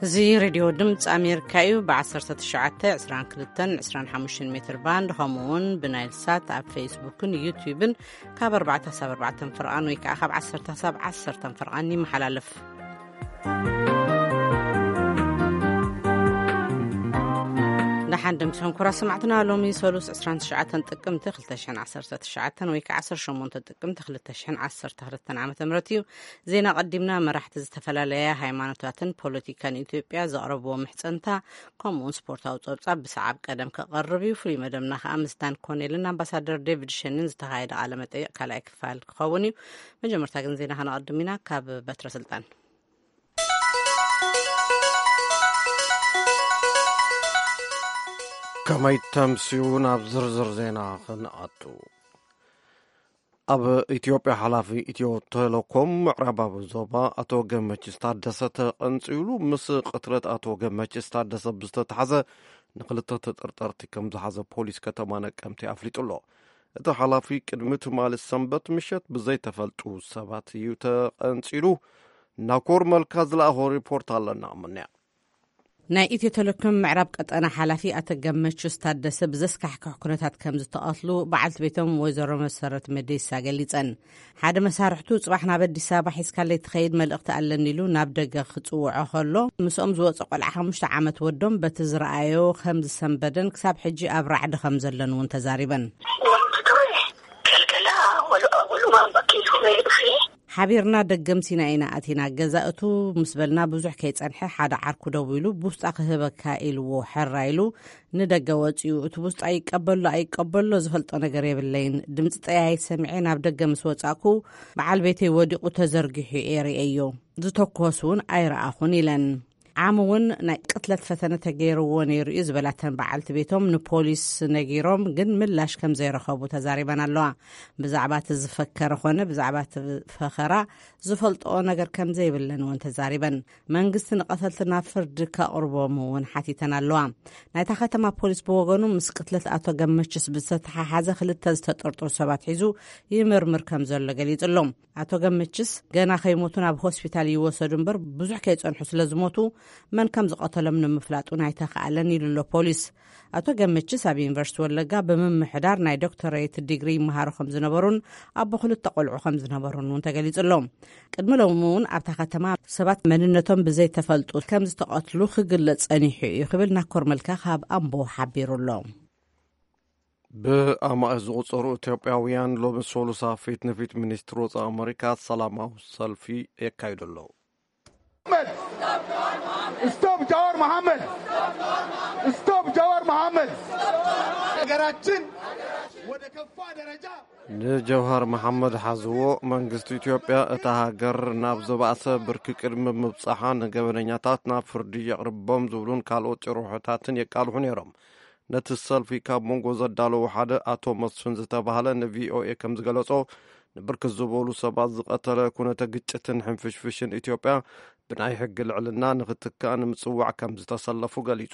እዚ ሬድዮ ድምፂ ኣሜሪካ እዩ። ብ19፣ 22፣ 25 ሜትር ባንድ፣ ከምኡ እውን ብናይል ሳት ኣብ ፌስቡክን ዩቲዩብን ካብ ኣርባዕተ ሳብ ኣርባዕተን ፍርቓን ወይ ከዓ ካብ ዓሰርተ ሳብ ዓሰርተን ፍርቓን ይመሓላለፍ። ደሓን ደምሲኹም ክቡራት ሰማዕትና፣ ሎሚ ሰሉስ ዕስራን ትሽዓተን ጥቅምቲ ክልተ ሽሕን ዓሰርተ ትሽዓተን ወይ ከዓ ዓሰርተ ሸሞንተ ጥቅምቲ ክልተ ሽሕን ዓሰርተ ክልተን ዓመተ ምህረት እዩ። ዜና ቀዲምና። መራሕቲ ዝተፈላለያ ሃይማኖታትን ፖለቲካን ኢትዮጵያ ዘቕረብዎ ምሕጸንታ፣ ከምኡውን ስፖርታዊ ጸብጻብ ብሰዓብ ቀደም ከቐርብ እዩ። ፍሉይ መደብና ከኣ ምስ ዳን ኮኔልን ኣምባሳደር ዴቪድ ሸንን ዝተኻየደ ቃለ መጠይቕ ካልኣይ ክፋል ክኸውን እዩ። መጀመርታ ግን ዜና ከነቐድም ኢና። ካብ በትረ ስልጣን። ከመይ ተምስዩ ናብ ዝርዝር ዜና ክንኣቱ። ኣብ ኢትዮጵያ ሓላፊ ኢትዮ ቴሌኮም ምዕራባዊ ዞባ ኣቶ ገመችስ ታደሰ ተቐንጺሉ ምስ ቅትለት ኣቶ ገመችስ ታደሰ ብዝተታሕዘ ንክልተ ተጠርጠርቲ ከም ዝሓዘ ፖሊስ ከተማ ነቀምቲ ኣፍሊጡ ኣሎ። እቲ ሓላፊ ቅድሚ ትማሊ ሰንበት ምሸት ብዘይተፈልጡ ሰባት እዩ ተቐንጺሉ። ናኮር መልካ ዝለኣኾ ሪፖርት ኣለና። ምንያ ናይ ኢትዮ ቴሌኮም ምዕራብ ቀጠና ሓላፊ ኣቶ ገመቹስ ታደሰ ብዘስካሕክሕ ኩነታት ከም ዝተቐትሉ በዓልቲ ቤቶም ወይዘሮ መሰረት መዴሳ ገሊጸን። ሓደ መሳርሕቱ ጽባሕ ናብ ኣዲስ ኣበባ ሒዝካለይ ትኸይድ መልእኽቲ ኣለኒ ኢሉ ናብ ደገ ክጽውዖ ከሎ ምስኦም ዝወጸ ቆልዓ ሓሙሽተ ዓመት ወዶም በቲ ዝረኣዮ ከም ዝሰንበደን ክሳብ ሕጂ ኣብ ራዕዲ ከም ዘለን እውን ተዛሪበን። ሓቢርና ደገምሲና ኢና ኣቲና። ገዛ እቱ ምስ በልና ብዙሕ ከይጸንሐ ሓደ ዓርኩ ደዊሉ፣ "ብውስጣ ክህበካ" ኢልዎ፣ ሕራ ኢሉ ንደገ ወጺኡ። እቲ ብውስጣ ይቀበሎ ኣይቀበሎ ዝፈልጦ ነገር የብለይን። ድምጺ ጠያይት ሰሚዐ ናብ ደገ ምስ ወጻእኩ፣ በዓል ቤተይ ወዲቑ ተዘርጊሑ እየ ርእየዮ። ዝተኮስ እውን ኣይረኣኹን ኢለን። ዓሚ እውን ናይ ቅትለት ፈተነ ተገይርዎ ነይሩ እዩ ዝበላተን በዓልቲ ቤቶም ንፖሊስ ነጊሮም ግን ምላሽ ከም ዘይረኸቡ ተዛሪበን ኣለዋ። ብዛዕባ እቲ ዝፈከረ ኾነ ብዛዕባ እቲ ፈኸራ ዝፈልጥኦ ነገር ከም ዘይብለን እውን ተዛሪበን። መንግስቲ ንቐተልቲ ናብ ፍርዲ ከቕርቦም እውን ሓቲተን ኣለዋ። ናይታ ከተማ ፖሊስ ብወገኑ ምስ ቅትለት ኣቶ ገመችስ ብዝተተሓሓዘ ክልተ ዝተጠርጠሩ ሰባት ሒዙ ይምርምር ከም ዘሎ ገሊጹ ኣሎ። ኣቶ ገመችስ ገና ከይሞቱ ናብ ሆስፒታል ይወሰዱ እምበር ብዙሕ ከይጸንሑ ስለ ዝሞቱ መን ከም ዝቐተሎም ንምፍላጡ ኣይተኻእለን ኢሉ ኣሎ ፖሊስ። ኣቶ ገመችስ ኣብ ዩኒቨርሲቲ ወለጋ ብምምሕዳር ናይ ዶክተሬት ዲግሪ ይመሃሩ ከም ዝነበሩን ኣቦ ክልተ ቆልዑ ከም ዝነበሩን እውን ተገሊጹ ኣሎ። ቅድሚ ሎሚ እውን ኣብታ ከተማ ሰባት መንነቶም ብዘይተፈልጡ ከም ዝተቐትሉ ክግለጽ ጸኒሑ እዩ ክብል ናኮር መልካ ካብ ኣምቦ ሓቢሩ ኣሎ። ብኣማእት ዝቑጸሩ ኢትዮጵያውያን ሎሚ ሰሉሳ ፊት ንፊት ሚኒስትሪ ወጻኢ ኣመሪካ ሰላማዊ ሰልፊ የካይዱ ኣለዉ። Stop Jawar Mohammed! Stop Jawar Mohammed! ሀገራችን ወደ ከፋ ደረጃ ንጀውሃር መሓመድ ሓዝዎ። መንግስቲ ኢትዮጵያ እታ ሃገር ናብ ዝበኣሰ ብርኪ ቅድሚ ምብጻሓ ንገበነኛታት ናብ ፍርዲ የቕርቦም ዝብሉን ካልኦት ጭርሖታትን የቃልሑ ነይሮም። ነቲ ሰልፊ ካብ መንጎ ዘዳለዉ ሓደ ኣቶ መስፍን ዝተባህለ ንቪኦኤ ከም ዝገለጾ፣ ንብርክት ዝበሉ ሰባት ዝቐተለ ኩነተ ግጭትን ሕንፍሽፍሽን ኢትዮጵያ ብናይ ሕጊ ልዕልና ንኽትካእ ንምጽዋዕ ከም ዝተሰለፉ ገሊጹ።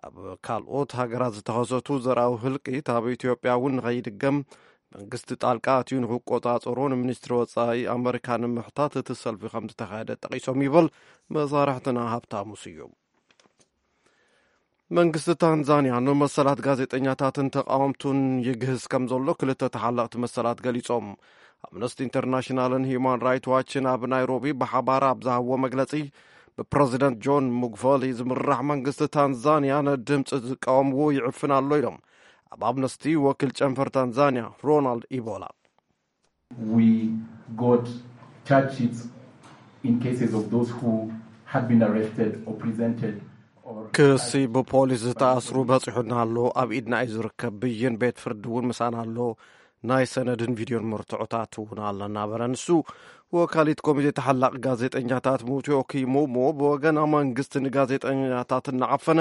ኣብ ካልኦት ሃገራት ዝተኸሰቱ ዘርኣዊ ህልቂት ኣብ ኢትዮጵያ እውን ንኸይድገም መንግስቲ ጣልቃ ኣትዩ ንኽቆጻጸሮ ንሚኒስትሪ ወጻኢ ኣመሪካ ንምሕታት እቲ ሰልፊ ከም ዝተኻየደ ጠቒሶም ይብል መሳርሕትና ሃብታሙ ስዩም። መንግስቲ ታንዛንያ ንመሰላት ጋዜጠኛታትን ተቃወምቱን ይግህስ ከም ዘሎ ክልተ ተሓለቕቲ መሰላት ገሊጾም። ኣምነስቲ ኢንተርናሽናልን ሂዩማን ራይት ዋችን ኣብ ናይሮቢ ብሓባር ኣብ ዝሃብዎ መግለጺ፣ ብፕረዚደንት ጆን ሙግፈሊ ዝምራሕ መንግስቲ ታንዛንያ ንድምፂ ዝቃወምዎ ይዕፍን ኣሎ ኢሎም ኣብ ኣምነስቲ ወኪል ጨንፈር ታንዛንያ ሮናልድ ኢቦላ። We got charge sheets in cases of those who had been arrested or presented or ክሲ ብፖሊስ ዝተኣስሩ በፂሑና ኣሎ። ኣብ ኢድና እዩ ዝርከብ። ብይን ቤት ፍርዲ እውን ምሳና ኣሎ። ናይ ሰነድን ቪድዮን መርትዖታት እውን ኣለና በለ ንሱ። ወካሊት ኮሚቴ ተሓላቂ ጋዜጠኛታት ሙትዮ ኪሙሞ ብወገና መንግስቲ ንጋዜጠኛታት እናዓፈነ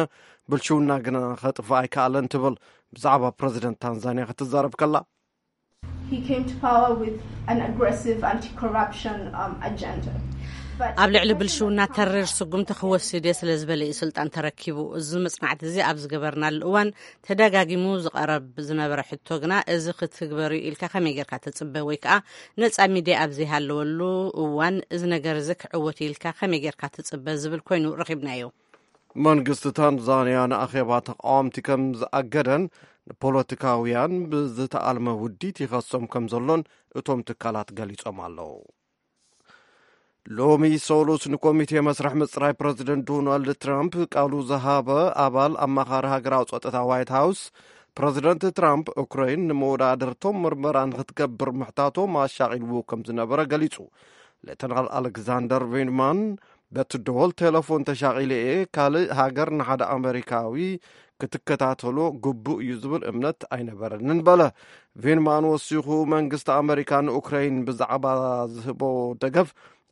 ብልሽውና ግና ከጥፍእ ኣይከኣለን ትብል። ብዛዕባ ፕረዚደንት ታንዛንያ ክትዛረብ ከላ He came to power with an aggressive anti-corruption um, agenda. ኣብ ልዕሊ ብልሽውና ተሪር ስጉምቲ ክወስድ እየ ስለ ዝበለ እዩ ስልጣን ተረኪቡ። እዚ መጽናዕቲ እዚ ኣብ ዝገበርናሉ እዋን ተደጋጊሙ ዝቐረብ ዝነበረ ሕቶ ግና፣ እዚ ክትግበር እዩ ኢልካ ከመይ ጌርካ ትጽበ? ወይ ከኣ ነጻ ሚድያ ኣብ ዘይሃለወሉ እዋን እዚ ነገር እዚ ክዕወት እዩ ኢልካ ከመይ ጌርካ ትጽበ? ዝብል ኮይኑ ረኺብናዮ። መንግስቲ ታንዛንያ ንኣኼባ ተቃወምቲ ከም ዝኣገደን ንፖለቲካውያን ብዝተኣልመ ውዲት ይኸሶም ከም ዘሎን እቶም ትካላት ገሊጾም ኣለዉ። ሎሚ ሰሉስ ንኮሚቴ መስርሕ ምጽራይ ፕረዚደንት ዶናልድ ትራምፕ ቃሉ ዝሃበ ኣባል ኣማኻሪ ሃገራዊ ጸጥታ ዋይት ሃውስ፣ ፕረዚደንት ትራምፕ ኡክራይን ንመወዳእድርቶም ምርመራ ንክትገብር ምሕታቶም ኣሻቒልዎ ከም ዝነበረ ገሊጹ። ሌተናል ኣሌክዛንደር ቬንማን፣ በቲ ደወል ቴሌፎን ተሻቒለ እየ፣ ካልእ ሃገር ንሓደ ኣመሪካዊ ክትከታተሎ ግቡእ እዩ ዝብል እምነት ኣይነበረንን በለ። ቬንማን ወሲኹ፣ መንግስቲ ኣመሪካ ንኡክራይን ብዛዕባ ዝህቦ ደገፍ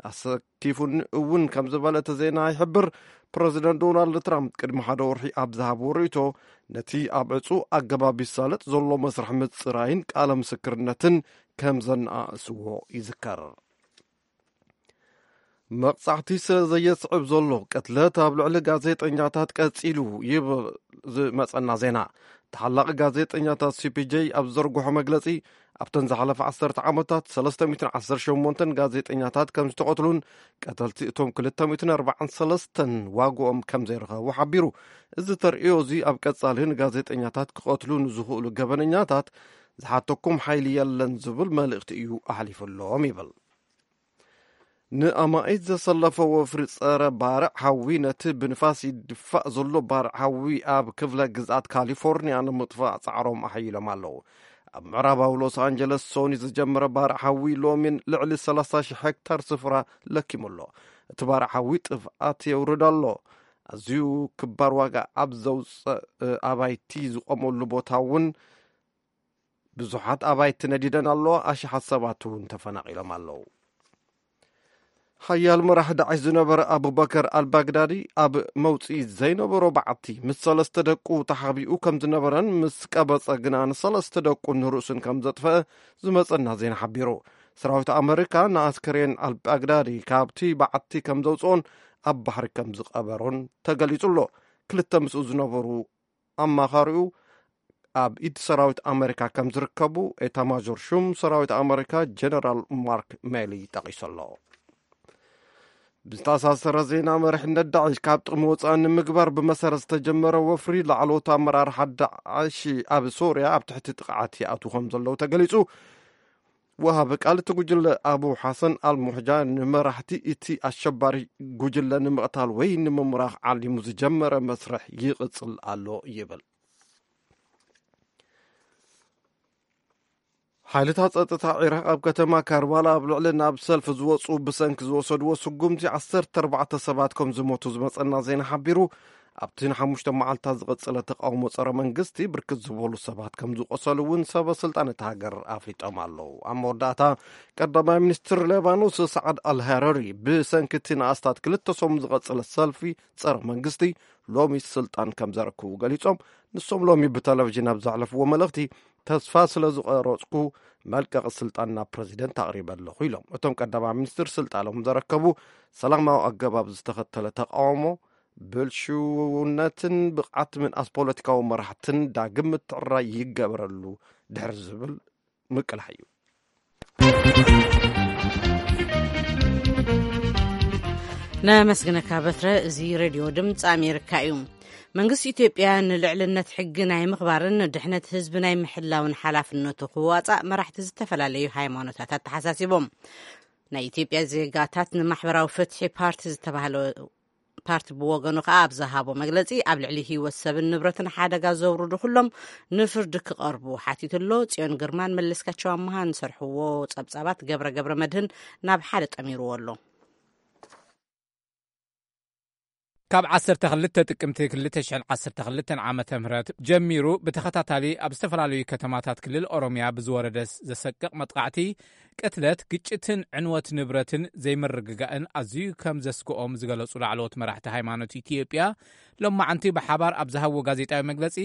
ኣሰኪፉን እውን ከም ዝበለ እቲ ዜና ይሕብር። ፕረዚደንት ዶናልድ ትራምፕ ቅድሚ ሓደ ወርሒ ኣብ ዝሃብዎ ርእይቶ፣ ነቲ ኣብ ዕጹ ኣገባብ ይሳለጥ ዘሎ መስርሕ ምጽራይን ቃለ ምስክርነትን ከም ዘነኣእስዎ ይዝከር። መቕጻዕቲ ስለ ዘየስዕብ ዘሎ ቅትለት ኣብ ልዕሊ ጋዜጠኛታት ቀጺሉ ይብል ዝመጸና ዜና። ተሓላቒ ጋዜጠኛታት ሲ ፒ ጄ ኣብ ዘርግሖ መግለጺ፣ ኣብተን ዝሓለፈ ዓሰርተ ዓመታት ሰለስተ ሚእትን ዓሰርተ ሸሞንተን ጋዜጠኛታት ከም ዝተቐትሉን ቀተልቲ እቶም ክልተ ሚእትን ኣርባዓን ሰለስተን ዋግኦም ከም ዘይረኸቡ ሓቢሩ። እዚ ተርእዮ እዚ ኣብ ቀጻሊ ንጋዜጠኛታት ክቐትሉ ንዝኽእሉ ገበነኛታት ዝሓተኩም ሓይሊ የለን ዝብል መልእኽቲ እዩ ኣሕሊፉሎም ይብል። ንኣማኢት ዘሰለፈ ወፍሪ ጸረ ባርዕ ሓዊ፣ ነቲ ብንፋስ ይድፋእ ዘሎ ባርዕ ሓዊ ኣብ ክፍለ ግዝኣት ካሊፎርኒያ ንምጥፋእ ጻዕሮም ኣሐይሎም ኣለዉ። ኣብ ምዕራባዊ ሎስ ኣንጀለስ ሶኒ ዝጀመረ ባርዕ ሓዊ ሎሚን ልዕሊ ሰላሳ ሺሕ ሄክታር ስፍራ ለኪሙ ኣሎ። እቲ ባርዕ ሓዊ ጥፍኣት የውርድ ኣሎ። ኣዝዩ ክባር ዋጋ ኣብ ዘውፅእ ኣባይቲ ዝቆመሉ ቦታ እውን ብዙሓት ኣባይቲ ነዲደን ኣለዋ። ኣሽሓት ሰባት እውን ተፈናቒሎም ኣለዉ። ሓያል መራሒ ዳዕሽ ዝነበረ ኣቡበከር ኣልባግዳዲ ኣብ መውፅኢ ዘይነበሮ በዓቲ ምስ ሰለስተ ደቁ ተሓቢኡ ከም ዝነበረን ምስ ቀበፀ ግና ንሰለስተ ደቁ ንርእሱን ከም ዘጥፈአ ዝመፀና ዜና ሓቢሩ። ሰራዊት ኣመሪካ ንኣስከሬን ኣልባግዳዲ ካብቲ በዓቲ ከም ዘውፅኦን ኣብ ባሕሪ ከም ዝቐበሮን ተገሊጹ ኣሎ። ክልተ ምስኡ ዝነበሩ ኣማኻሪኡ ኣብ ኢድ ሰራዊት ኣመሪካ ከም ዝርከቡ ኤታማዦር ሹም ሰራዊት ኣመሪካ ጀነራል ማርክ ሜሊ ጠቒሱ ኣሎ። ብዝተኣሳሰረ ዜና፣ መሪሕነት ዳዕሽ ካብ ጥቕሚ ወፃኢ ንምግባር ብመሰረት ዝተጀመረ ወፍሪ ላዕለዎት ኣመራርሓ ዳዕሽ ኣብ ሶርያ ኣብ ትሕቲ ጥቕዓት ይኣትዉ ከም ዘለዉ ተገሊጹ። ወሃቢ ቃል እቲ ጉጅለ ኣቡ ሓሰን ኣልሙሕጃ ንመራሕቲ እቲ ኣሸባሪ ጉጅለ ንምቕታል ወይ ንምምራኽ ዓሊሙ ዝጀመረ መስርሕ ይቕጽል ኣሎ ይብል። ሓይልታት ጸጥታ ዒራቕ ኣብ ከተማ ካርባላ ኣብ ልዕሊ ናብ ሰልፊ ዝወጹ ብሰንኪ ዝወሰድዎ ስጉምቲ ዓሰርተ ኣርባዕተ ሰባት ከም ዝሞቱ ዝመጸና ዜና ሓቢሩ። ኣብቲ ንሓሙሽተ መዓልታት ዝቐጸለ ተቃውሞ ጸረ መንግስቲ ብርክት ዝበሉ ሰባት ከም ዝቆሰሉ እውን ሰበ ስልጣን እታ ሃገር ኣፍሊጦም ኣለዉ። ኣብ መወዳእታ ቀዳማይ ሚኒስትር ሌባኖስ ሳዕድ ኣልሃረሪ ብሰንኪ እቲ ንኣስታት ክልተ ሰሙን ዝቐጸለ ሰልፊ ጸረ መንግስቲ ሎሚ ስልጣን ከም ዘረክቡ ገሊጾም። ንሶም ሎሚ ብቴሌቪዥን ኣብ ዘሕለፍዎ መልእኽቲ፣ ተስፋ ስለ ዝቐረጽኩ መልቀቂ ስልጣን ናብ ፕረዚደንት ኣቕሪበ ኣለኹ ኢሎም። እቶም ቀዳማይ ሚኒስትር ስልጣኖም ዘረከቡ ሰላማዊ ኣገባብ ዝተኸተለ ተቃውሞ፣ ብልሽውነትን ብቕዓት ምንኣስ ፖለቲካዊ መራሕትን ዳግም ምትዕራይ ይገበረሉ ድሕሪ ዝብል ምቅላሕ እዩ። ነመስግነካ በትረ። እዚ ሬድዮ ድምፂ ኣሜሪካ እዩ። መንግስቲ ኢትዮጵያ ንልዕልነት ሕጊ ናይ ምኽባርን ድሕነት ህዝቢ ናይ ምሕላውን ሓላፍነቱ ክዋፃእ መራሕቲ ዝተፈላለዩ ሃይማኖታት ኣተሓሳሲቦም። ናይ ኢትዮጵያ ዜጋታት ንማሕበራዊ ፍትሒ ፓርቲ ዝተባህለ ፓርቲ ብወገኑ ከኣ ኣብ ዝሃቦ መግለጺ፣ ኣብ ልዕሊ ህይወት ሰብን ንብረትን ሓደጋ ዘውርዱ ኩሎም ንፍርዲ ክቐርቡ ሓቲቱ ኣሎ። ጽዮን ግርማን መለስካቸው ኣመሃን ዝሰርሕዎ ጸብጻባት ገብረ ገብረ መድህን ናብ ሓደ ጠሚርዎ ኣሎ። ካብ ዓሰርተ ክልተ ጥቅምቲ ክልተ ሽሕን ዓሰርተ ክልተን ዓመተ ምህረት ጀሚሩ ብተኸታታሊ ኣብ ዝተፈላለዩ ከተማታት ክልል ኦሮምያ ብዝወረደ ዘሰቅቕ መጥቃዕቲ፣ ቅትለት፣ ግጭትን ዕንወት ንብረትን ዘይምርግጋእን ኣዝዩ ከም ዘስግኦም ዝገለጹ ላዕለዎት መራሕቲ ሃይማኖት ኢትዮጵያ፣ ሎማዓንቲ ብሓባር ኣብ ዝሃብዎ ጋዜጣዊ መግለጺ፣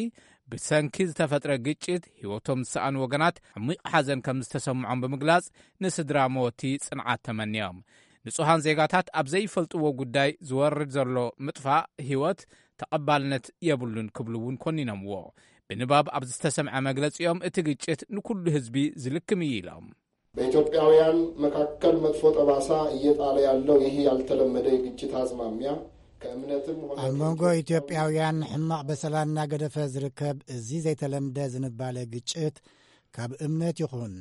ብሰንኪ ዝተፈጥረ ግጭት ህይወቶም ዝሰኣኑ ወገናት ዓሚቕ ሓዘን ከም ዝተሰምዖም ብምግላጽ፣ ንስድራ መወቲ ጽንዓት ተመንዮም። ንጹሃን ዜጋታት ኣብ ዘይፈልጥዎ ጉዳይ ዝወርድ ዘሎ ምጥፋእ ህይወት ተቐባልነት የብሉን ክብሉ እውን ኮኒኖምዎ። ብንባብ ኣብ ዝተሰምዐ መግለጺኦም፣ እቲ ግጭት ንኩሉ ህዝቢ ዝልክም እዩ ኢሎም። በኢትዮጵያውያን መካከል መጥፎ ጠባሳ እየጣለ ያለው ይህ ያልተለመደ የግጭት አዝማሚያ ከእምነትም ሆነ ኣብ መንጎ ኢትዮጵያውያን ሕማቕ በሰላ እናገደፈ ዝርከብ እዚ ዘይተለምደ ዝንባለ ግጭት፣ ካብ እምነት ይኹን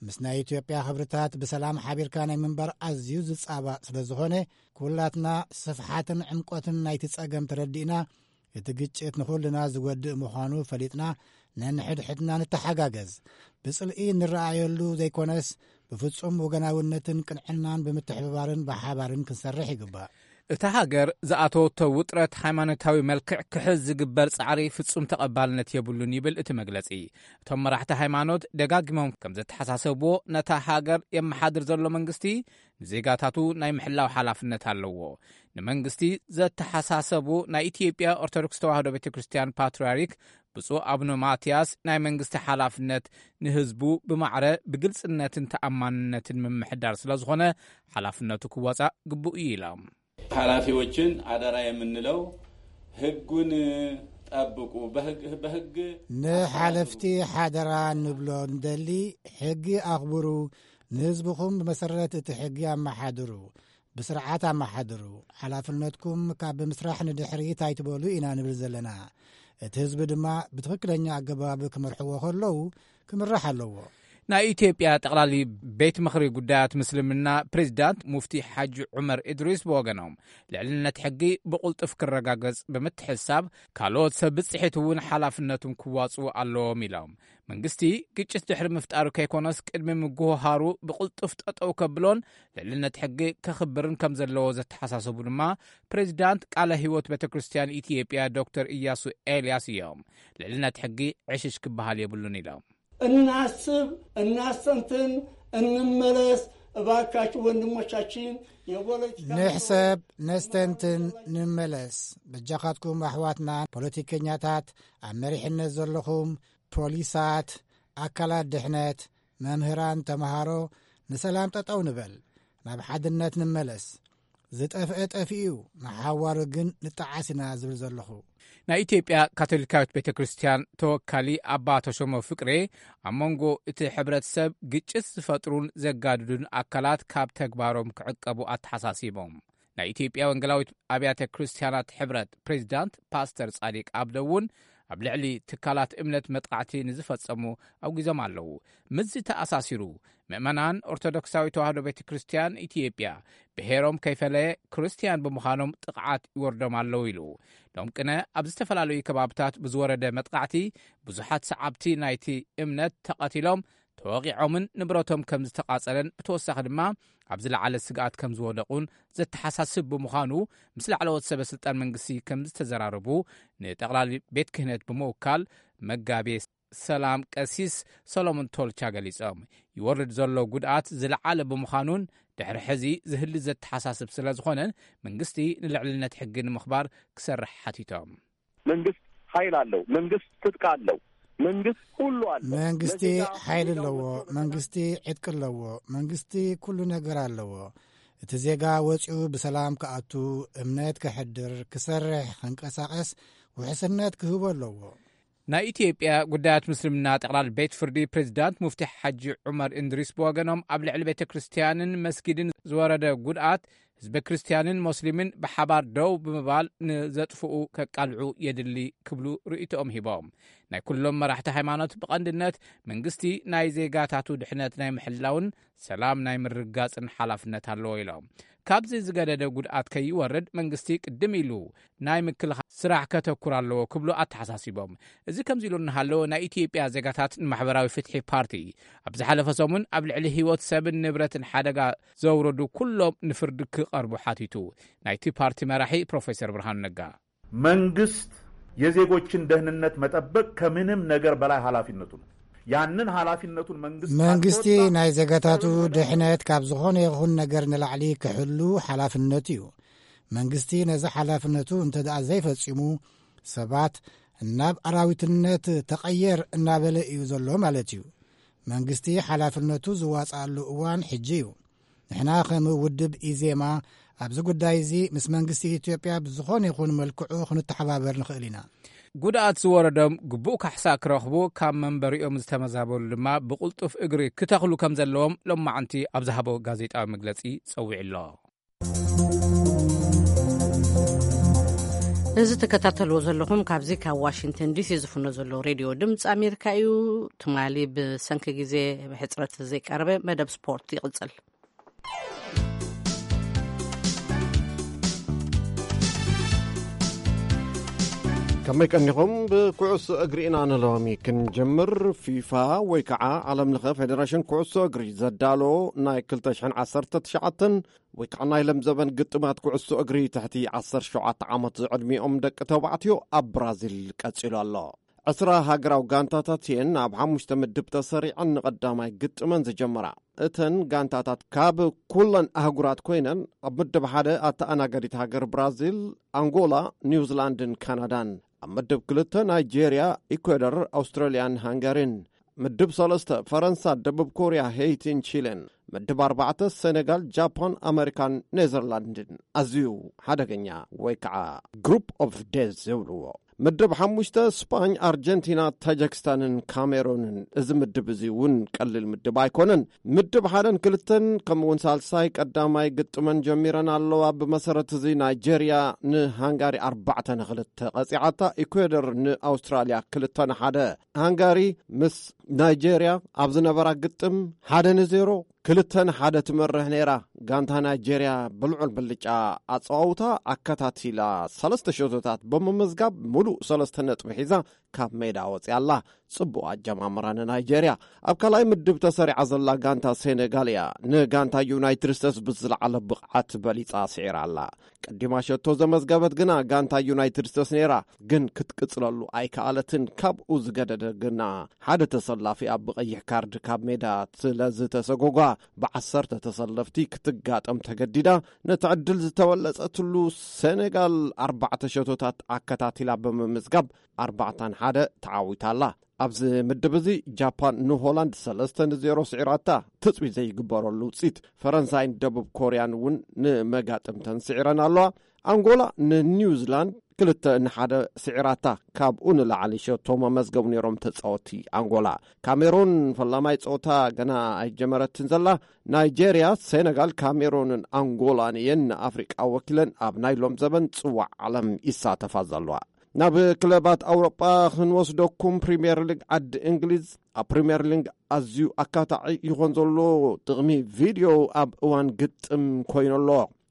ምስ ናይ ኢትዮጵያ ክብርታት ብሰላም ሓቢርካ ናይ ምንባር ኣዝዩ ዝጻባእ ስለ ዝኾነ፣ ኩላትና ስፍሓትን ዕምቆትን ናይቲ ጸገም ተረዲእና፣ እቲ ግጭት ንኹልና ዝጎድእ ምዃኑ ፈሊጥና፣ ነንሕድሕድና ንተሓጋገዝ። ብጽልኢ እንረኣየሉ ዘይኮነስ፣ ብፍጹም ወገናውነትን ቅንዕናን ብምትሕብባርን ብሓባርን ክንሰርሕ ይግባእ። እታ ሃገር ዝኣተወቶ ውጥረት ሃይማኖታዊ መልክዕ ክሕዝ ዝግበር ጻዕሪ ፍጹም ተቐባልነት የብሉን ይብል እቲ መግለጺ። እቶም መራሕቲ ሃይማኖት ደጋጊሞም ከም ዘተሓሳሰብዎ፣ ነታ ሃገር የመሓድር ዘሎ መንግስቲ ንዜጋታቱ ናይ ምሕላው ሓላፍነት ኣለዎ። ንመንግስቲ ዘተሓሳሰቡ ናይ ኢትዮጵያ ኦርቶዶክስ ተዋህዶ ቤተ ክርስቲያን ፓትርያርክ ብፁዕ ኣቡነ ማትያስ፣ ናይ መንግስቲ ሓላፍነት ንህዝቡ ብማዕረ ብግልጽነትን ተኣማንነትን ምምሕዳር ስለ ዝኾነ፣ ሓላፍነቱ ክወጻእ ግቡእ እዩ ኢሎም። ኃላፊዎችን አደራ የምንለው ህጉን ጠብቁ። በህግ በህግ ንሓለፍቲ ሓደራ ንብሎ እንደሊ፣ ሕጊ ኣኽብሩ፣ ንህዝብኹም ብመሰረት እቲ ሕጊ ኣመሓድሩ፣ ብስርዓት ኣመሓድሩ። ሓላፍነትኩም ካብ ብምስራሕ ንድሕሪት ኣይትበሉ ኢና ንብል ዘለና። እቲ ህዝቢ ድማ ብትኽክለኛ ኣገባብ ክመርሕዎ ከለዉ ክምራሕ ኣለዎ። ናይ ኢትዮጵያ ጠቕላሊ ቤት ምኽሪ ጉዳያት ምስልምና ፕሬዚዳንት ሙፍቲ ሓጂ ዑመር እድሪስ ብወገኖም፣ ልዕልነት ሕጊ ብቕልጡፍ ክረጋገጽ ብምትሕሳብ፣ ካልኦት ሰብ ብጽሒት እውን ሓላፍነቱን ክዋጽኡ ኣለዎም ኢሎም። መንግስቲ ግጭት ድሕሪ ምፍጣሩ ከይኮነስ፣ ቅድሚ ምጉህሃሩ ብቕልጡፍ ጠጠው ከብሎን ልዕልነት ሕጊ ከኽብርን ከም ዘለዎ ዘተሓሳሰቡ ድማ ፕሬዚዳንት ቃለ ህይወት ቤተ ክርስቲያን ኢትዮጵያ ዶክተር ኢያሱ ኤልያስ እዮም። ልዕልነት ሕጊ ዕሽሽ ክበሃል የብሉን ኢሎም። እናስብ እናስተንትን እንመለስ። እባካችሁ ወንድሞቻችን የፖለቲካ ንሕሰብ፣ ነስተንትን፣ ንመለስ። በጃኻትኩም ኣሕዋትና ፖለቲከኛታት፣ ኣብ መሪሕነት ዘለኹም ፖሊሳት፣ ኣካላት ድሕነት፣ መምህራን፣ ተምሃሮ፣ ንሰላም ጠጠው ንበል፣ ናብ ሓድነት ንመለስ። ዝጠፍአ ጠፊኡ እዩ፣ ንሓዋሩ ግን ንጠዓስ ኢና ዝብል ዘለኹ። ናይ ኢትዮጵያ ካቶሊካዊት ቤተ ክርስቲያን ተወካሊ ኣባ ተሾመ ፍቅሬ፣ ኣብ መንጎ እቲ ሕብረተሰብ ግጭት ዝፈጥሩን ዘጋድዱን ኣካላት ካብ ተግባሮም ክዕቀቡ ኣተሓሳሲቦም። ናይ ኢትዮጵያ ወንጌላዊት ኣብያተ ክርስቲያናት ሕብረት ፕሬዚዳንት ፓስተር ጻዲቅ ኣብደ እውን፣ ኣብ ልዕሊ ትካላት እምነት መጥቃዕቲ ንዝፈጸሙ ኣውጊዞም ኣለዉ። ምስዚ ተኣሳሲሩ፣ ምእመናን ኦርቶዶክሳዊ ተዋህዶ ቤተ ክርስቲያን ኢትዮጵያ፣ ብሄሮም ከይፈለየ ክርስቲያን ብምዃኖም ጥቕዓት ይወርዶም ኣለዉ ኢሉ። ሎም ቅነ ኣብ ዝተፈላለዩ ከባብታት ብዝወረደ መጥቃዕቲ፣ ብዙሓት ሰዓብቲ ናይቲ እምነት ተቐቲሎም፣ ተወቒዖምን ንብረቶም ከም ዝተቓጸለን፣ ብተወሳኺ ድማ ኣብ ዝለዓለ ስግኣት ከም ዝወደቑን ዘተሓሳስብ ብምዃኑ፣ ምስ ላዕለዎት ሰበ ስልጣን መንግስቲ ከም ዝተዘራረቡ፣ ንጠቕላሊ ቤት ክህነት ብምውካል መጋቤ ሰላም ቀሲስ ሰሎሞን ቶልቻ ገሊጾም። ይወርድ ዘሎ ጉድኣት ዝለዓለ ብምዃኑን ድሕሪ ሕዚ ዝህሊ ዘተሓሳስብ ስለ ዝኾነን፣ መንግስቲ ንልዕልነት ሕጊ ንምኽባር ክሰርሕ ሓቲቶም። መንግስት ኃይል አለው። መንግስት ትጥቅ አለው። መንግስት ሁሉ አለው። መንግስቲ ለዜጋው ሓይሊ ኣለዎ። መንግስቲ ዕጥቂ ኣለዎ። መንግስቲ ኩሉ ነገር ኣለዎ። እቲ ዜጋ ወፂኡ ብሰላም ክኣቱ፣ እምነት ከሕድር፣ ክሰርሕ፣ ክንቀሳቀስ ውሕስነት ክህቦ ኣለዎ። ናይ ኢትዮጵያ ጉዳያት ምስልምና ጠቕላል ቤት ፍርዲ ፕሬዚዳንት ሙፍቲ ሓጂ ዑመር እንድሪስ ብወገኖም፣ ኣብ ልዕሊ ቤተ ክርስቲያንን መስጊድን ዝወረደ ጉድኣት ህዝበ ክርስቲያንን ሞስሊምን ብሓባር ደው ብምባል ንዘጥፍኡ ከቃልዑ የድሊ ክብሉ ርእይቶኦም ሂቦም። ናይ ኩሎም መራሕቲ ሃይማኖት ብቐንድነት መንግስቲ ናይ ዜጋታቱ ድሕነት ናይ ምሕላውን ሰላም ናይ ምርግጋጽን ሓላፍነት ኣለዎ ኢሎም። ካብዚ ዝገደደ ጉድኣት ከይወርድ መንግስቲ ቅድም ኢሉ ናይ ምክልኻል ስራሕ ከተኩር ኣለዎ ክብሉ ኣተሓሳሲቦም። እዚ ከምዚ ኢሉ እናሃለወ፣ ናይ ኢትዮጵያ ዜጋታት ንማሕበራዊ ፍትሒ ፓርቲ ኣብ ዝሓለፈ ሰሙን ኣብ ልዕሊ ህይወት ሰብን ንብረትን ሓደጋ ዘውረዱ ኩሎም ንፍርዲ ክቐርቡ ሓቲቱ። ናይቲ ፓርቲ መራሒ ፕሮፌሰር ብርሃኑ ነጋ። መንግስት የዜጎችን ደህንነት መጠበቅ ከምንም ነገር በላይ ኃላፊነቱ ነው። ያንን ኃላፊነቱን መንግስት መንግስቲ ካልተወጣ ናይ ዜጋታቱ ድሕነት ካብ ዝኾነ ይኹን ነገር ንላዕሊ ክሕሉ ሓላፍነቱ እዩ። መንግስቲ ነዚ ሓላፍነቱ እንተ ደኣ ዘይፈጺሙ፣ ሰባት ናብ ኣራዊትነት ተቐየር እናበለ እዩ ዘሎ ማለት እዩ። መንግስቲ ሓላፍነቱ ዝዋጽኣሉ እዋን ሕጂ እዩ። ንሕና ከም ውድብ ኢዜማ ኣብዚ ጉዳይ እዚ ምስ መንግስቲ ኢትዮጵያ ብዝኾነ ይኹን መልክዑ ክንተሓባበር ንኽእል ኢና። ጉድኣት ዝወረዶም ግቡእ ካሕሳ ክረኽቡ፣ ካብ መንበሪኦም ዝተመዛበሉ ድማ ብቕልጡፍ እግሪ ክተኽሉ ከም ዘለዎም ሎማዕንቲ ኣብ ዝሃቦ ጋዜጣዊ መግለጺ ጸዊዑ ኣሎ። እዚ ትከታተልዎ ዘለኹም ካብዚ ካብ ዋሽንግተን ዲሲ ዝፍኖ ዘሎ ሬድዮ ድምፂ ኣሜሪካ እዩ። ትማሊ ብሰንኪ ግዜ ሕፅረት ዘይቀረበ መደብ ስፖርት ይቕፅል። ከመይ ቀኒኹም? ብኩዕሶ እግሪ ኢና ንሎሚ ክንጅምር። ፊፋ ወይ ከዓ ዓለም ለኸ ፌደሬሽን ኩዕሶ እግሪ ዘዳሎ ናይ ክልተ ሽሕን ዓሰርተ ትሽዓተን ወይ ከዓ ናይ ለምዘበን ግጥማት ኩዕሶ እግሪ ትሕቲ ዓሰርተ ሸውዓተ ዓመት ዝዕድሚኦም ደቂ ተባዕትዮ ኣብ ብራዚል ቀጺሉ ኣሎ። ዕስራ ሃገራዊ ጋንታታት እየን ኣብ ሓሙሽተ ምድብ ተሰሪዐን ንቐዳማይ ግጥመን ዝጀመራ። እተን ጋንታታት ካብ ኩለን ኣህጉራት ኮይነን ኣብ ምድብ ሓደ ኣተኣናጋዲት ሃገር ብራዚል፣ ኣንጎላ፣ ኒውዚላንድን ካናዳን፣ ኣብ ምድብ ክልተ ናይጄርያ፣ ኢኳዶር፣ ኣውስትራልያን ሃንጋሪን፣ ምድብ ሰለስተ ፈረንሳ፣ ደቡብ ኮርያ፣ ሄይቲን ቺሌን፣ ምድብ ኣርባዕተ ሰኔጋል፣ ጃፓን፣ ኣመሪካን ኔዘርላንድን። ኣዝዩ ሓደገኛ ወይ ከዓ ግሩፕ ኦፍ ዴዝ ዝብልዎ። ምድብ ሓሙሽተ ስፓኝ፣ ኣርጀንቲና፣ ታጃክስታንን ካሜሩንን። እዚ ምድብ እዚ እውን ቀሊል ምድብ ኣይኮነን። ምድብ ሓደን ክልተን ከምኡውን ሳልሳይ ቀዳማይ ግጥመን ጀሚረን ኣለዋ። ብመሰረት እዚ ናይጄርያ ንሃንጋሪ ኣርባዕተ ንክልተ ቀፂዓታ። ኢኳዶር ንኣውስትራልያ ክልተ ንሓደ። ሃንጋሪ ምስ ናይጄርያ ኣብ ዝነበራ ግጥም ሓደ ንዜሮ፣ ክልተ ንሓደ ትመርሕ ነይራ። ጋንታ ናይጄርያ ብልዑል ብልጫ ኣጸዋውታ ኣከታቲላ ሰለስተ ሸቶታት ብምምዝጋብ ምሉእ ሰለስተ ነጥቢ ሒዛ ካብ ሜዳ ወጺኣ ኣላ። ጽቡቕ ኣጀማምራ ንናይጄርያ። ኣብ ካልኣይ ምድብ ተሰሪዓ ዘላ ጋንታ ሴኔጋል እያ። ንጋንታ ዩናይትድ ስቴትስ ብዝለዓለ ብቕዓት በሊጻ ስዒራ ኣላ። ቀዲማ ሸቶ ዘመዝገበት ግና ጋንታ ዩናይትድ ስቴትስ ነይራ፣ ግን ክትቅጽለሉ ኣይከኣለትን። ካብኡ ዝገደደ ግና ሓደ ተሰላፊኣ ብቐይሕ ካርድ ካብ ሜዳ ስለ ዝተሰጎጓ፣ ብዓሰርተ ተሰለፍቲ ክትጋጠም ተገዲዳ። ነቲ ዕድል ዝተበለጸትሉ ሴኔጋል ኣርባዕተ ሸቶታት ኣከታቲላ ብምምዝጋብ ኣርባዕተ ንሓደ ተዓዊታ ኣላ። ኣብዚ ምድብ እዚ ጃፓን ንሆላንድ ሰለስተ ንዜሮ ስዒራታ። ትጽቢት ዘይግበረሉ ውጽኢት። ፈረንሳይን ደቡብ ኮርያን እውን ንመጋጥምተን ስዒረን ኣለዋ። ኣንጎላ ንኒውዚላንድ ክልተ ንሓደ ስዒራታ። ካብኡ ንላዕሊ ሸቶ መመዝገቡ ነይሮም ተጻወቲ ኣንጎላ። ካሜሩን ፈላማይ ጸወታ ገና ኣይጀመረትን ዘላ። ናይጄርያ፣ ሴነጋል፣ ካሜሩንን ኣንጎላን እየን ንኣፍሪቃ ወኪለን ኣብ ናይ ሎም ዘበን ጽዋዕ ዓለም ይሳተፋ ዘለዋ። ናብ ክለባት ኣውሮጳ ክንወስደኩም። ፕሪምየር ሊግ ዓዲ እንግሊዝ። ኣብ ፕሪምየር ሊግ ኣዝዩ ኣካታዒ ይኾን ዘሎ ጥቕሚ ቪድዮ ኣብ እዋን ግጥም ኮይኑ ኣሎ።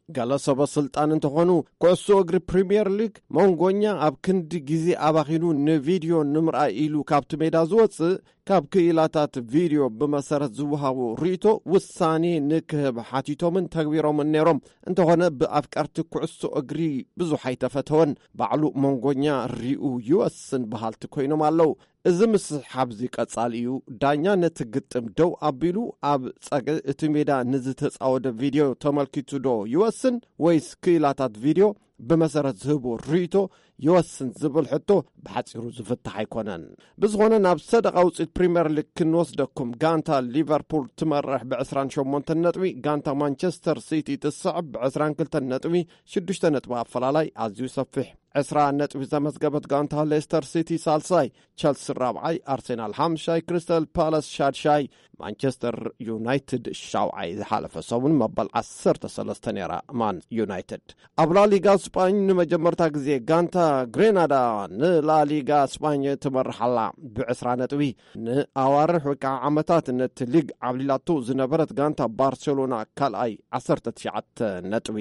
ገለ ሰበ ስልጣን እንተኾኑ፣ ኩዕሶ እግሪ ፕሪምየር ሊግ መንጎኛ ኣብ ክንዲ ግዜ ኣባኺኑ ንቪድዮ ንምርኣይ ኢሉ ካብቲ ሜዳ ዝወጽእ፣ ካብ ክኢላታት ቪድዮ ብመሰረት ዝወሃቡ ርእይቶ ውሳኔ ንክህብ ሓቲቶምን ተግቢሮምን ነይሮም። እንተኾነ ብኣፍቀርቲ ኩዕሶ እግሪ ብዙሕ ኣይተፈተወን። ባዕሉ መንጎኛ ሪኡ ይወስን በሃልቲ ኮይኖም ኣለዉ። እዚ ምስሕሓብ እዚ ቀጻሊ እዩ። ዳኛ ነቲ ግጥም ደው ኣቢሉ ኣብ ጸግዒ እቲ ሜዳ ንዝተጻወደ ቪድዮ ተመልኪቱ ዶ ይወስን ወይስ ክኢላታት ቪድዮ ብመሰረት ዝህቦ ርእይቶ ይወስን ዝብል ሕቶ ብሓጺሩ ዝፍታሕ ኣይኮነን። ብዝኾነ ናብ ሰደቓ ውጽኢት ፕሪምየር ሊግ ክንወስደኩም። ጋንታ ሊቨርፑል ትመርሕ ብ ዕስራን ሸሞንተን ነጥቢ፣ ጋንታ ማንቸስተር ሲቲ ትስዕብ ብ ዕስራን ክልተን ነጥቢ፣ ሽዱሽተ ነጥቢ ኣፈላላይ ኣዝዩ ሰፊሕ። ዕስራ ነጥቢ ዘመዝገበት ጋንታ ሌስተር ሲቲ ሳልሳይ፣ ቸልሲ ራብዓይ፣ ኣርሴናል ሓምሻይ፣ ክሪስታል ፓላስ ሻድሻይ፣ ማንቸስተር ዩናይትድ ሻውዓይ። ዝሓለፈ ሰሙን መበል ዓሰርተ ሰለስተ ነይራ ማን ዩናይትድ። ኣብ ላሊጋ ስጳኝ ንመጀመርታ ግዜ ጋንታ ግሬናዳ ንላሊጋ ስጳኝ ትመርሕ ኣላ ብዕስራ ነጥቢ። ንኣዋርሕ ወይ ከዓ ዓመታት ነቲ ሊግ ዓብሊላቶ ዝነበረት ጋንታ ባርሴሎና ካልኣይ ዓሰርተ ትሽዓተ ነጥቢ።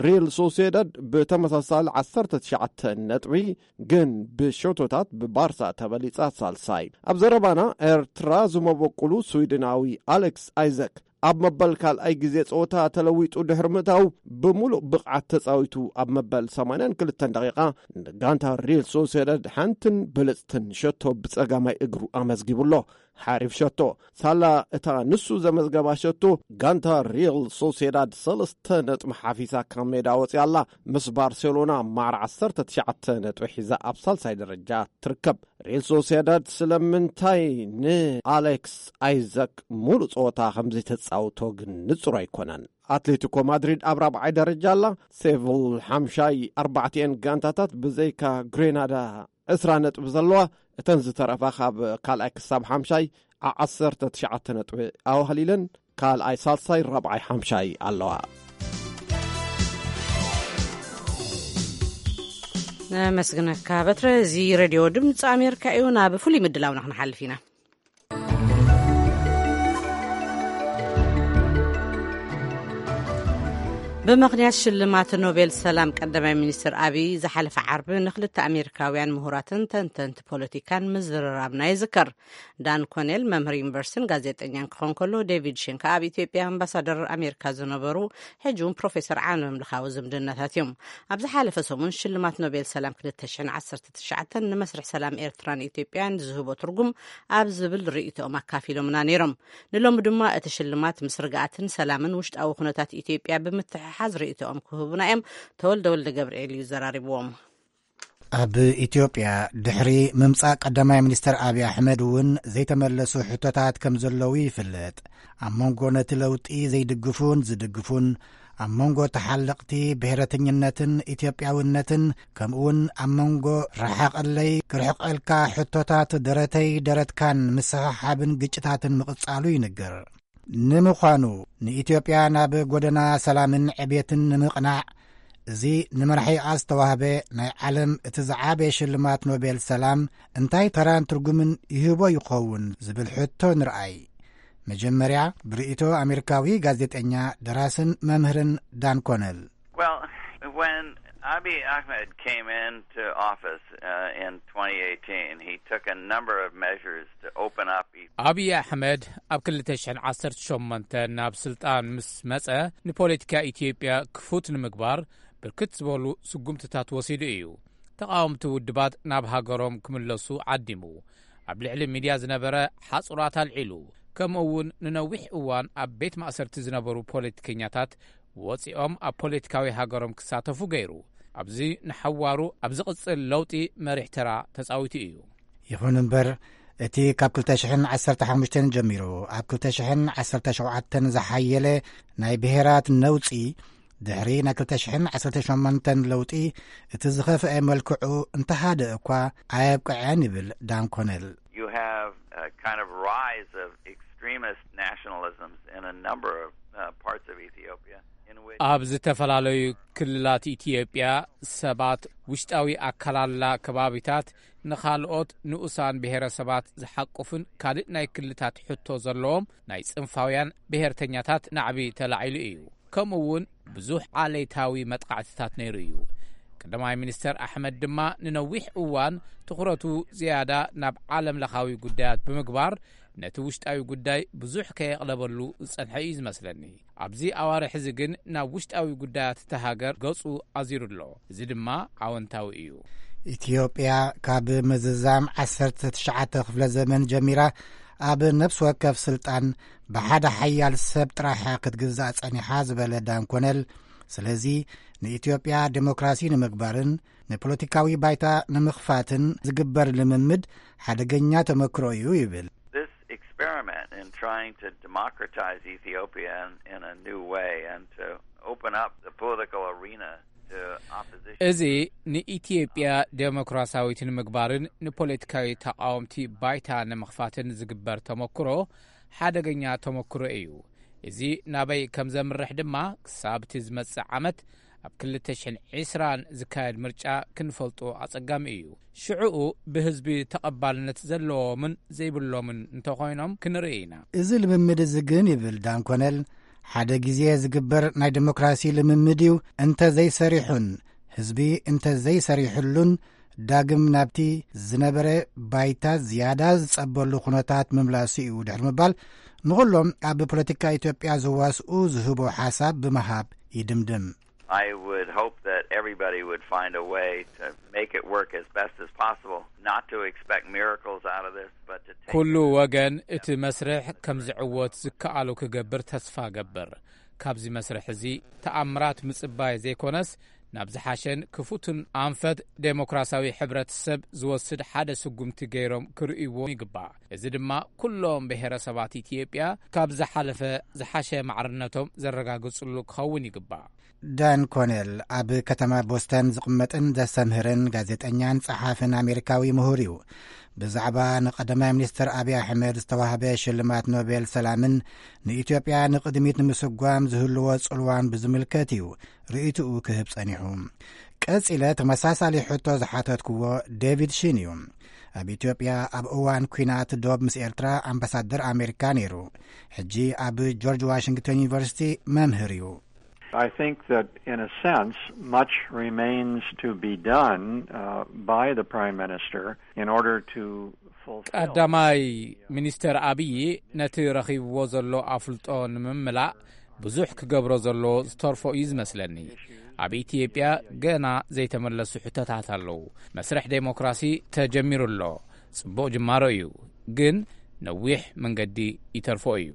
ሪል ሶሴዳድ ብተመሳሳሊ ዓሰርተ ትሽዓተ ነጥቢ ግን ብሸቶታት ብባርሳ ተበሊጻ ሳልሳይ። ኣብ ዘረባና ኤርትራ ዝመበቁሉ ስዊድናዊ ኣሌክስ ኣይዘክ ኣብ መበል ካልኣይ ግዜ ጸወታ ተለዊጡ ድሕሪ ምእታው ብምሉእ ብቕዓት ተጻዊቱ ኣብ መበል ሰማንያን ክልተን ደቂቓ ንጋንታ ሪል ሶሴዳድ ሓንትን ብልጽትን ሸቶ ብጸጋማይ እግሩ ኣመዝጊቡ ኣሎ። ሓሪፍ ሸቶ። ሳላ እታ ንሱ ዘመዝገባ ሸቶ ጋንታ ሪል ሶሴዳድ ሰለስተ ነጥቢ ሓፊሳ ካብ ሜዳ ወጺኣ ኣላ። ምስ ባርሴሎና ማዕረ ዓሰርተ ትሽዓተ ነጥቢ ሒዛ ኣብ ሳልሳይ ደረጃ ትርከብ። ሪል ሶሲዳድ ስለምንታይ ንኣሌክስ ኣይዛክ ሙሉእ ጸወታ ከም ዘይተጻውቶ ግን ንጹር ኣይኮነን። ኣትሌቲኮ ማድሪድ ኣብ ራብዓይ ደረጃ ኣላ። ሴቪል ሓምሻይ፣ ኣርባዕቲኤን ጋንታታት ብዘይካ ግሬናዳ ዕስራ ነጥቢ ዘለዋ፣ እተን ዝተረፋ ካብ ካልኣይ ክሳብ ሓምሻይ ዓ-፣ ዓሰርተ ትሽዓተ ነጥቢ ኣዋህሊለን ካልኣይ፣ ሳልሳይ፣ ራብዓይ፣ ሓምሻይ ኣለዋ። ነመስግነካ በትረ። እዚ ሬድዮ ድምፂ ኣሜሪካ እዩ። ናብ ፍሉይ ምድላውና ክንሓልፍ ኢና። ብምኽንያት ሽልማት ኖቤል ሰላም ቀዳማይ ሚኒስትር ኣቢይ ዝሓለፈ ዓርቢ ንክልተ ኣሜሪካውያን ምሁራትን ተንተንቲ ፖለቲካን ምዝርራብና ይዝከር። ዳን ኮኔል መምህር ዩኒቨርሲቲን ጋዜጠኛን ክኾን ከሎ፣ ዴቪድ ሼን ከኣ ኣብ ኢትዮጵያ ኣምባሳደር ኣሜሪካ ዝነበሩ፣ ሕጂ እውን ፕሮፌሰር ዓለም ለኻዊ ዝምድናታት እዮም። ኣብ ዝሓለፈ ሰሙን ሽልማት ኖቤል ሰላም ክልተ ሽሕን ዓሰርተ ትሽዓተን ንመስርሕ ሰላም ኤርትራን ኢትዮጵያን ዝህቦ ትርጉም ኣብ ዝብል ርእይቶኦም ኣካፊሎምና ነይሮም። ንሎሚ ድማ እቲ ሽልማት ምስ ርግኣትን ሰላምን ውሽጣዊ ኩነታት ኢትዮጵያ ብምትሕሓዝ ርእይቶኦም ክህቡና እዮም። ተወልደ ወልደ ገብርኤል እዩ ዘራሪብዎም። ኣብ ኢትዮጵያ ድሕሪ ምምጻእ ቀዳማይ ሚኒስተር ኣብይ ኣሕመድ እውን ዘይተመለሱ ሕቶታት ከም ዘለዉ ይፍለጥ። ኣብ መንጎ ነቲ ለውጢ ዘይድግፉን ዝድግፉን፣ ኣብ መንጎ ተሓለቕቲ ብሔረተኝነትን ኢትዮጵያውነትን፣ ከምኡውን ኣብ መንጎ ረሓቐለይ ክርሕቐልካ ሕቶታት ደረተይ ደረትካን ምስሕሓብን ግጭታትን ምቕጻሉ ይንገር። ንምዃኑ ንኢትዮጵያ ናብ ጎደና ሰላምን ዕቤትን ንምቕናዕ፣ እዚ ንመራሒኣ ዝተዋህበ ናይ ዓለም እቲ ዝዓበየ ሽልማት ኖቤል ሰላም እንታይ ተራን ትርጉምን ይህቦ ይኸውን ዝብል ሕቶ ንርኣይ። መጀመርያ ብርእይቶ ኣሜሪካዊ ጋዜጠኛ፣ ደራስን መምህርን ዳን ኮነል። Well, when Abiy Ahmed came into office uh, in twenty eighteen, he took a number of measures to open up. Ethiopia. ኣብይ ኣሕመድ ኣብ ክልተ ሽሕን ዓሰርተ ሸሞንተ ናብ ስልጣን ምስ መጸ፣ ንፖለቲካ ኢትዮጵያ ክፉት ንምግባር ብርክት ዝበሉ ስጉምትታት ወሲዱ እዩ። ተቓወምቲ ውድባት ናብ ሃገሮም ክምለሱ ዓዲሙ። ኣብ ልዕሊ ሚድያ ዝነበረ ሓጹራት ኣልዒሉ። ከምኡ እውን ንነዊሕ እዋን ኣብ ቤት ማእሰርቲ ዝነበሩ ፖለቲከኛታት ወጺኦም ኣብ ፖለቲካዊ ሃገሮም ክሳተፉ ገይሩ። ኣብዚ ንሓዋሩ ኣብ ዝቕጽል ለውጢ መሪሕ ተራ ተጻዊቱ እዩ። ይኹን እምበር፣ እቲ ካብ ክልተ ሽሕን ዓሰርተ ሓሙሽተን ጀሚሩ ኣብ ክልተ ሽሕን ዓሰርተ ሸውዓተን ዝሓየለ ናይ ብሄራት ነውጺ፣ ድሕሪ ናይ ክልተ ሽሕን ዓሰርተ ሸሞንተን ለውጢ፣ እቲ ዝኸፍአ መልክዑ እንተሃደ እኳ ኣየብቅዐን ይብል ዳን ኮነል። You have a kind of rise of extremist nationalisms in a number of uh, parts of Ethiopia. In which ኣብ ዝተፈላለዩ ክልላት ኢትዮጵያ ሰባት ውሽጣዊ ኣከላልላ ከባቢታት ንኻልኦት ንኡሳን ብሔረሰባት ዝሓቁፍን ካልእ ናይ ክልታት ሕቶ ዘለዎም ናይ ጽንፋውያን ብሔርተኛታት ናዕቢ ተላዒሉ እዩ። ከምኡ እውን ብዙሕ ዓሌታዊ መጥቃዕትታት ነይሩ እዩ። ቀዳማይ ሚኒስተር ኣሕመድ ድማ ንነዊሕ እዋን ትኹረቱ ዝያዳ ናብ ዓለም ለኻዊ ጉዳያት ብምግባር፣ ነቲ ውሽጣዊ ጉዳይ ብዙሕ ከየቕለበሉ ዝጸንሐ እዩ ዝመስለኒ። ኣብዚ ኣዋርሕ እዚ ግን ናብ ውሽጣዊ ጉዳያት እታ ሃገር ገጹ ኣዚሩ ኣሎ። እዚ ድማ ኣወንታዊ እዩ። ኢትዮጵያ ካብ ምዝዛም ዓሰርተ ትሽዓተ ክፍለ ዘመን ጀሚራ ኣብ ነፍሲ ወከፍ ስልጣን ብሓደ ሓያል ሰብ ጥራሕ ክትግዛእ ጸኒሓ ዝበለ ዳን ኮነል፣ ስለዚ ንኢትዮጵያ ዴሞክራሲ ንምግባርን ንፖለቲካዊ ባይታ ንምኽፋትን ዝግበር ልምምድ ሓደገኛ ተመክሮ እዩ ይብል። This experiment in trying to democratize Ethiopia in, in a new way and to open up the political arena to opposition. እዚ ንኢትዮጵያ ዴሞክራሲያዊት ንምግባርን ንፖለቲካዊ ተቓወምቲ ባይታ ንምኽፋትን ዝግበር ተመክሮ ሓደገኛ ተመክሮ እዩ። እዚ ናበይ ከም ዘምርሕ ድማ ክሳብ እቲ ዝመጽእ ዓመት ኣብ ክልተ ሽሕን ዕስራን ዝካየድ ምርጫ ክንፈልጦ ኣጸጋሚ እዩ። ሽዕኡ ብህዝቢ ተቐባልነት ዘለዎምን ዘይብሎምን እንተኾይኖም ክንርኢ ኢና። እዚ ልምምድ እዚ ግን፣ ይብል ዳን ኮነል፣ ሓደ ግዜ ዝግበር ናይ ዴሞክራሲ ልምምድ እዩ። እንተ ዘይሰሪሑን ህዝቢ እንተ ዘይሰሪሕሉን፣ ዳግም ናብቲ ዝነበረ ባይታ ዝያዳ ዝጸበሉ ኩነታት ምምላሱ እዩ ድሕሪ ምባል፣ ንኹሎም ኣብ ፖለቲካ ኢትዮጵያ ዝዋስኡ ዝህቦ ሓሳብ ብምሃብ ይድምድም። I would hope that everybody would find a way to make it work as best as possible, not to expect miracles out of this, but to take ኩሉ ወገን እቲ መስርሕ ከም ዝዕወት ዝከኣሎ ክገብር ተስፋ ገብር። ካብዚ መስርሕ እዚ ተኣምራት ምጽባይ ዘይኮነስ፣ ናብ ዝሓሸን ክፉትን ኣንፈት ዴሞክራሲያዊ ሕብረተሰብ ዝወስድ ሓደ ስጉምቲ ገይሮም ክርእይዎ ይግባእ። እዚ ድማ ኩሎም ብሄረሰባት ኢትዮጵያ ካብ ዝሓለፈ ዝሓሸ ማዕርነቶም ዘረጋግጽሉ ክኸውን ይግባእ። ዳን ኮኔል ኣብ ከተማ ቦስተን ዝቕመጥን ዘስተምህርን ጋዜጠኛን ጸሓፍን ኣሜሪካዊ ምሁር እዩ። ብዛዕባ ንቀዳማይ ሚኒስትር ኣብይ ኣሕመድ ዝተዋህበ ሽልማት ኖቤል ሰላምን ንኢትዮጵያ ንቕድሚት ንምስጓም ዝህልዎ ጽልዋን ብዝምልከት እዩ ርእይትኡ ክህብ ጸኒሑ። ቀጺለ ተመሳሳሊ ሕቶ ዝሓተትክዎ ዴቪድ ሺን እዩ። ኣብ ኢትዮጵያ ኣብ እዋን ኲናት ዶብ ምስ ኤርትራ ኣምባሳደር ኣሜሪካ ነይሩ። ሕጂ ኣብ ጆርጅ ዋሽንግተን ዩኒቨርሲቲ መምህር እዩ። I think that, in a sense, much remains to be done uh, by the Prime Minister in order to fulfill. ቀዳማይ ሚኒስተር ኣብዪ ነቲ ረኺብዎ ዘሎ ኣፍልጦ ንምምላእ ብዙሕ ክገብሮ ዘሎ ዝተርፎ እዩ ዝመስለኒ። ኣብ ኢትዮጵያ ገና ዘይተመለሱ ሕቶታት ኣለዉ። መስርሕ ዴሞክራሲ ተጀሚሩ ኣሎ። ጽቡቕ ጅማሮ እዩ፣ ግን ነዊሕ መንገዲ ይተርፎ እዩ።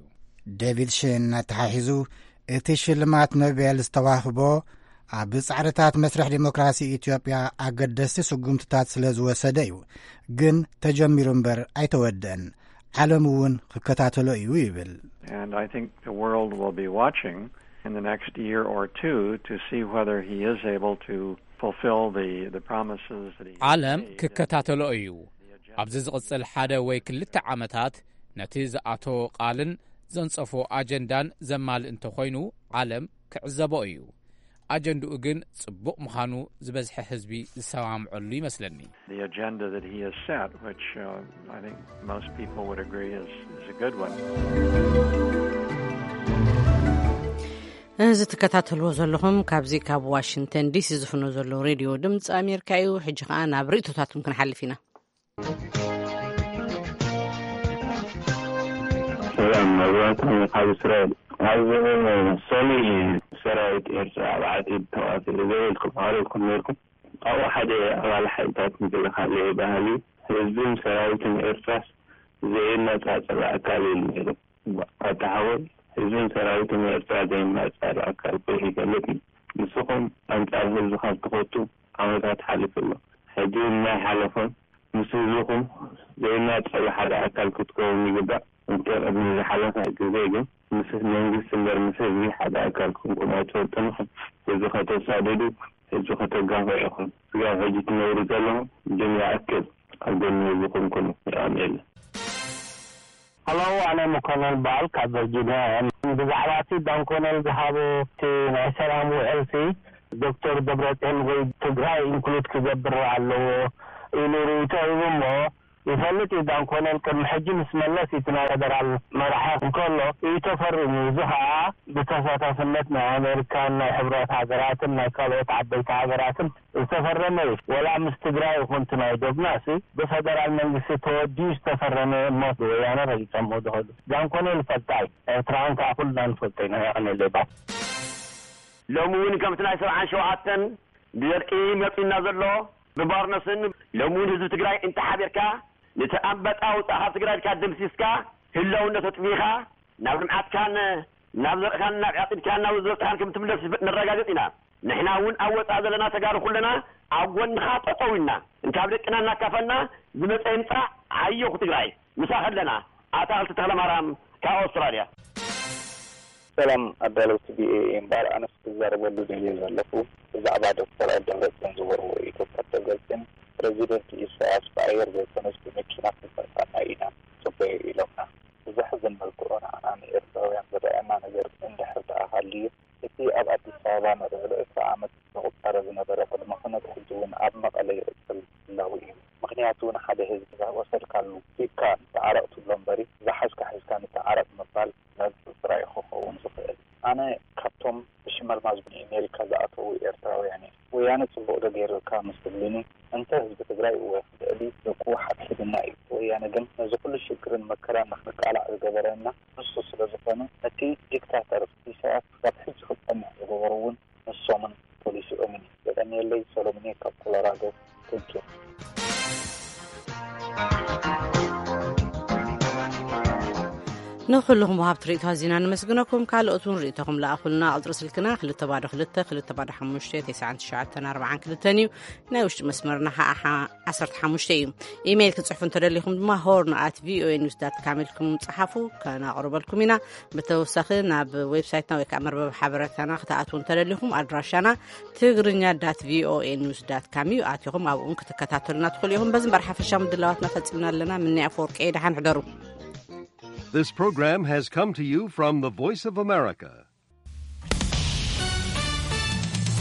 ዴቪድ ሽን ኣተሓሒዙ፣ እቲ ሽልማት ኖቤል ዝተዋህቦ ኣብ ጻዕርታት መስርሕ ዴሞክራሲ ኢትዮጵያ ኣገደስቲ ስጉምትታት ስለ ዝወሰደ እዩ፣ ግን ተጀሚሩ እምበር ኣይተወደአን። ዓለም እውን ክከታተሎ እዩ ይብል። And I think the world will be watching in the next year or two to see whether he is able to fulfill the, the promises that he ዓለም ክከታተሎ እዩ። ኣብዚ ዝቕጽል ሓደ ወይ ክልተ ዓመታት ነቲ ዝኣቶ ቃልን ዘንጸፎ ኣጀንዳን ዘማልእ እንተኾይኑ ዓለም ክዕዘቦ እዩ። ኣጀንድኡ ግን ጽቡቕ ምዃኑ ዝበዝሐ ህዝቢ ዝሰማምዐሉ ይመስለኒ። The agenda that he has set, which uh, I think most people would agree is, is a good one. እዚ ትከታተልዎ ዘለኹም ካብዚ ካብ ዋሽንግተን ዲሲ ዝፍኖ ዘሎ ሬድዮ ድምፂ ኣሜሪካ እዩ። ሕጂ ከዓ ናብ ርእቶታትኩም ክንሓልፍ ኢና። ሰላም መብራህቶም ካብ እስራኤል። ኣብ ሰኒ ሰራዊት ኤርትራ ኣብ ዓዲ ተዋፊሩ ዘበልኩም ኣረድኩም ነርኩም። ካብኡ ሓደ ኣባል ሓይልታት ምክልኻል ባህሊ ህዝብን ሰራዊትን ኤርትራስ ዘይነጻጸል ኣካል ኢሉ ነይሩ። ኣታ ሓወይ፣ ህዝብን ሰራዊትን ኤርትራ ዘይነጻጸል ኣካል ኮይኑ ይፈልጥ እዩ። ንስኹም ኣንጻር ህዝቢ ካብ ትኸቱ ዓመታት ሓሊፉ ኣሎ። ሕጂ ናይ ሓለፎም ምስ ህዝብኹም ዘይናጸሉ ሓደ ኣካል ክትከውን ይግባእ። እንተ ቅድሚ ዝሓለፈ ግዜ ግን ምስ መንግስቲ እምበር ምስ ህዝቢ ሓደ ኣካል ኮንኩም ኣይትፈልጡን ኢኹም። ህዝቢ ከተሳድዱ፣ ህዝቢ ከተጋፍዑ ኢኹም። ስጋብ ሕጂ ትነብሩ ዘለኹም ግን ይኣክል ኣብ ጎኒ ህዝብኹም ኩኑ። የቐንየልና። ሃሎ፣ ኣነ መኮነን በዓል ካብ ቨርጂንያ እየ። ብዛዕባ እቲ ዳን ኮነል ዝሃቦ እቲ ናይ ሰላም ውዕልሲ ዶክተር ደብረፅዮን ወይ ትግራይ ኢንክሉድ ክገብር ኣለዎ ኢሉ ርእይቶ ሂቡ እሞ ይፈልጥ እዩ። ዳን ኮነል ቅድሚ ሕጂ ምስ መለስ እቲ ናይ ፌደራል መራሒ እንከሎ እዩ ተፈሪሙ። እዚ ከዓ ብተሳታፍነት ናይ ኣሜሪካን ናይ ሕብረት ሃገራትን ናይ ካልኦት ዓበይቲ ሃገራትን ዝተፈረመ እዩ። ወላ ምስ ትግራይ ይኹን እቲ ናይ ዶብና ሲ ብፈደራል መንግስቲ ተወዲኡ ዝተፈረመ እሞ ብወያነ ረጊጾሞ ዝኸዱ። ዳን ኮነል ይፈልጣ እዩ። ኤርትራውያን ከዓ ኩልና ንፈልጦ ኢና። የቐንየለይ ባይ። ሎሚ እውን ከምቲ ናይ ሰብዓን ሸውዓተን ብደርቂ መጺእና ዘሎ ብባርነስን ሎሚ እውን ህዝቢ ትግራይ እንተሓቢርካ ነቲ ኣንበጣ ውፃእ ካብ ትግራይ ኢልካ ደምሲስካ ህላውነት ኣጥፊእኻ ናብ ልምዓትካን ናብ ዘርእኻን ናብ ዕፅድካን ናብ ዝበፅሓን ከም ትምለስ ነረጋግፅ ኢና። ንሕና እውን ኣብ ወፃኢ ዘለና ተጋሩ ኩለና ኣብ ጎንኻ ጠጠው ኢልና እንካብ ደቅና እናካፈልና ዝመፀ ይምፃእ። ዓየኹ ትግራይ ምሳኺ ኣለና። ኣታኽልቲ ተኽለማርያም ካብ ኣውስትራልያ። ሰላም ኣዳለውቲ ቪኦኤ እምበኣር ኣነስ ክዛረበሉ ደልየ ዘለኹ ብዛዕባ ዶክተር ደብረፅዮን ዝበልዎ እዩ። ዶክተር ደብረፅዮን ፕረዚደንት ኢሳያስ ብኣየር ዘይኮነስ ብመኪና ክንሰርቃና ኢና ጽበዩ ኢሎምና። ብዘሕዝን መልክዑ ንዓና ንኤርትራውያን ዝረኣየና ነገር እንድሕር ደኣ ሃልዩ እቲ ኣብ ኣዲስ ኣበባ ንልዕሊ ዕስራ ዓመት ዘቑጸረ ዝነበረ ቅድመ ኩነት ሕጂ እውን ኣብ መቐለ ይቕጽል ህላው እዩ። ምኽንያቱ ንሓደ ህዝቢ ዝወሰድካሉ ሂብካ ንተዓረቕ ትብሎ እምበሪ ዝሓዝካ ሒዝካ ንተዓረቕ ምባል መርትዖ ጥራይ እዩ ክኸውን ዝኽእል። ኣነ ካብቶም ብሽመልማዝ ንኤሜሪካ ዝኣተዉ ኤርትራውያን እየ። ወያነ ጽቡቕ ዶ ገይሩልካ ምስ ትብሉኒ፣ እንተ ህዝቢ ትግራይ እወ ልዕሊ ደቁ ሓድሕድና እዩ። ወያነ ግን ነዚ ኩሉ ሽግርን መከራን ንኽንቃላዕ ዝገበረና ንሱ ስለ ዝኾነ፣ ነቲ ዲክታተር ኢሳያስ ክሳብ ሕጂ ክጸንሕ ዝገበሩ እውን ንሶምን ፖሊሲኦምን እዩ። የቐንየለይ። ሰሎሙን እየ ካብ ኮሎራዶ። Thank you። ንኩልኹም ወሃብቲ ርእይቶ ኣዚና ንመስግነኩም። ካልኦት እውን ርእይቶኹም ለኣኹልና። ቁፅሪ ስልክና ክልተ ባዶ ክልተ ክልተ ባዶ ሓሙሽተ ተስዓን ትሽዓተን ኣርባዓን ክልተን እዩ። ናይ ውሽጢ መስመርና ከዓ ሓ- ዓሰርተ ሓሙሽተ እዩ። ኢሜይል ክትፅሕፉ እንተደሊኹም ድማ ሆርን ኣት ቪኦኤ ኒውስ ዳት ካም ኢልኩም ፀሓፉ፣ ከናቕርበልኩም ኢና። ብተወሳኺ ናብ ዌብሳይትና ወይ ከዓ መርበብ ሓበሬታና ክትኣትዉ እንተደሊኹም ኣድራሻና ትግርኛ ዳት ቪኦኤ ኒውስ ዳት ካም እዩ። ኣቲኹም ኣብኡን ክትከታተሉና ትኽእሉ ኢኹም። በዚ እምበር ሓፈሻ ምድላዋትና ፈፂምና ኣለና። ምንያ ኣፈወርቂ ደሓን ሕደሩ። This program has come to you from the Voice of America,